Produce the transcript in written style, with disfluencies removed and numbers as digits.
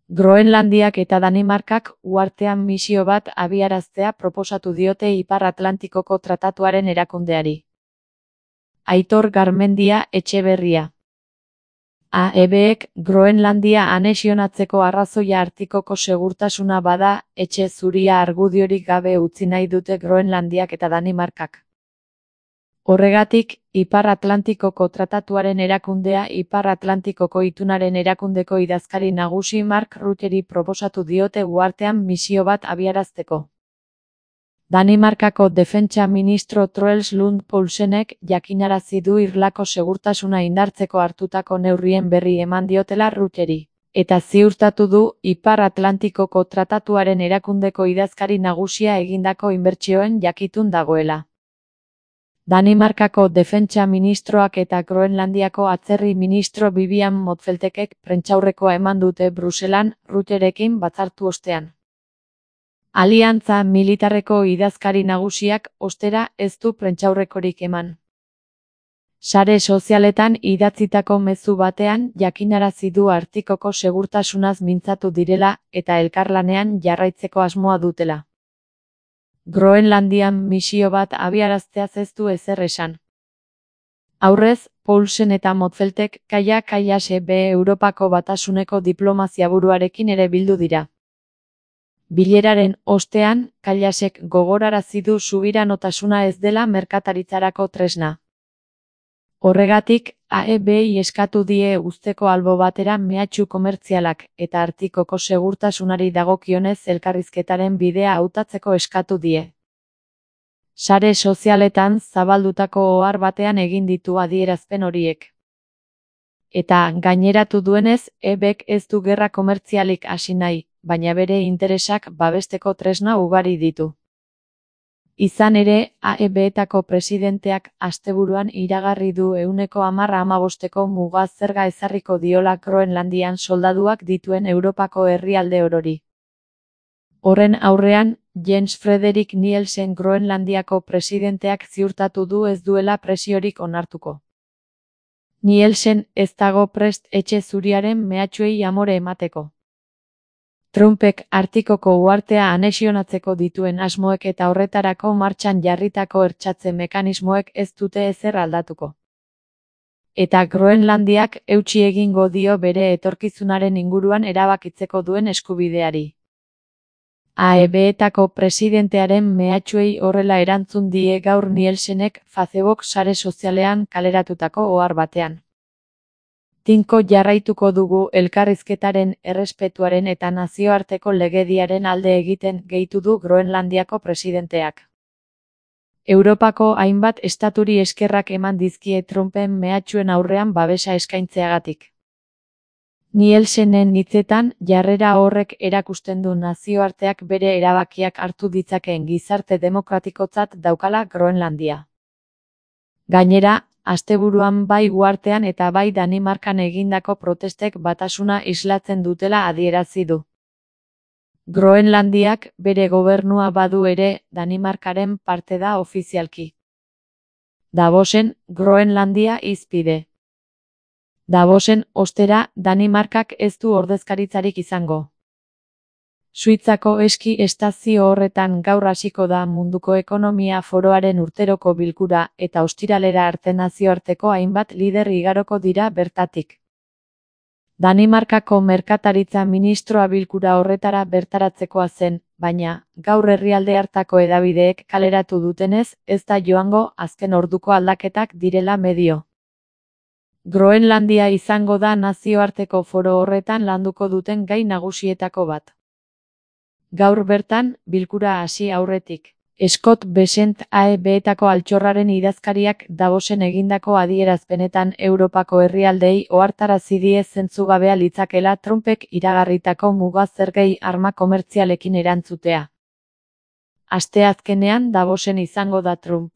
Groenlandiak eta Danimarkak uhartean misio bat abiaraztea proposatu diote Ipar Atlantikoko Tratatuaren erakundeari. Aitor Garmendia Etxeberria. AEBek Groenlandia anexionatzeko arrazoia Artikoko segurtasuna bada, etxe zuria argudiorik gabe utzi nahi dute Groenlandiak eta Danimarkak. Horregatik, Ipar Atlantikoko Tratatuaren erakundea Ipar Atlantikoko Itunaren erakundeko idazkari nagusi Mark Rutteri proposatu diote uhartean misio bat abiarazteko. Danimarkako defentsa ministro Troels Lund Poulsenek jakinarazi du irlako segurtasuna indartzeko hartutako neurrien berri eman diotela Rutteri, eta ziurtatu du Ipar Atlantikoko Tratatuaren erakundeko idazkari nagusia egindako inbertsioen jakitun dagoela. Danimarkako defentsa ministroak eta Groenlandiako atzerri ministro Vivian Motzfeldtekek prentsaurrekoa eman dute Bruselan Rutterekin batzartu ostean. Aliantza militarreko idazkari nagusiak, ostera, ez du prentsaurrekorik eman. Sare sozialetan idatzitako mezu batean jakinarazi du Artikoko segurtasunaz mintzatu direla eta elkarlanean jarraitzeko asmoa dutela. Groenlandian misio bat abiarazteaz ez du ezer esan. Aurrez, Poulsen eta Motzfeldtek Kaia Kallase B Europako Batasuneko diplomazia buruarekin ere bildu dira. Bileraren ostean, Kallasek gogorarazi du subiranotasuna ez dela merkataritzarako tresna. Horregatik, AEBi eskatu die uzteko albo batera mehatxu komertzialak eta Artikoko segurtasunari dagokionez elkarrizketaren bidea hautatzeko eskatu die. Sare sozialetan zabaldutako ohar batean egin ditu adierazpen horiek. Eta gaineratu duenez, EBek ez du gerra komertzialik hasi nahi, baina bere interesak babesteko tresna ugari ditu. Izan ere, AEBetako presidenteak asteburuan iragarri du 10-15ko muga zerga ezarriko diola Groenlandian soldaduak dituen Europako herrialde orori. Horren aurrean, Jens Frederik Nielsen Groenlandiako presidenteak ziurtatu du ez duela presiorik onartuko. Nielsen ez dago prest etxe zuriaren mehatxuei amore emateko. Trumpek Artikoko uhartea anexionatzeko dituen asmoek eta horretarako martxan jarritako hertsatze mekanismoek ez dute ezer aldatuko. Eta Groenlandiak eutsi egingo dio bere etorkizunaren inguruan erabakitzeko duen eskubideari. AEBetako presidentearen mehatxuei horrela erantzun die gaur Nielsenek Facebook sare sozialean kaleratutako ohar batean. Tinko jarraituko dugu elkarrizketaren errespetuaren eta nazioarteko legediaren alde egiten gehitu du Groenlandiako presidenteak. Europako hainbat estaturi eskerrak eman dizkie Trumpen mehatxuen aurrean babesa eskaintzeagatik. Nielsenen hitzetan, jarrera horrek erakusten du nazioarteak bere erabakiak hartu ditzakeen gizarte demokratikotzat daukala Groenlandia. Gainera, asteburuan bai uhartean eta bai Danimarkan egindako protestek batasuna islatzen dutela adierazi du. Groenlandiak bere gobernua badu ere, Danimarkaren parte da ofizialki. Davosen, Groenlandia hizpide. Davosen, ostera, Danimarkak ez du ordezkaritzarik izango. Suitzako eski estazio horretan gaur hasiko da Munduko Ekonomia Foroaren urteroko bilkura eta ostiralera arte nazioarteko hainbat lider igaroko dira bertatik. Danimarkako merkataritza ministroa bilkura horretara bertaratzekoa zen, baina, gaur herrialde hartako hedabideek kaleratu dutenez, ez da joango azken orduko aldaketak direla medio. Groenlandia izango da nazioarteko foro horretan landuko duten gai nagusietako bat. Gaur bertan, bilkura hasi aurretik. Scott Bessent AEBetako altxorraren idazkariak Davosen egindako adierazpenetan Europako herrialdeei ohartarazi die zentzugabea litzakela Trumpek iragarritako muga zergei arma komertzialekin erantzutea. Asteazkenean Davosen izango da Trump.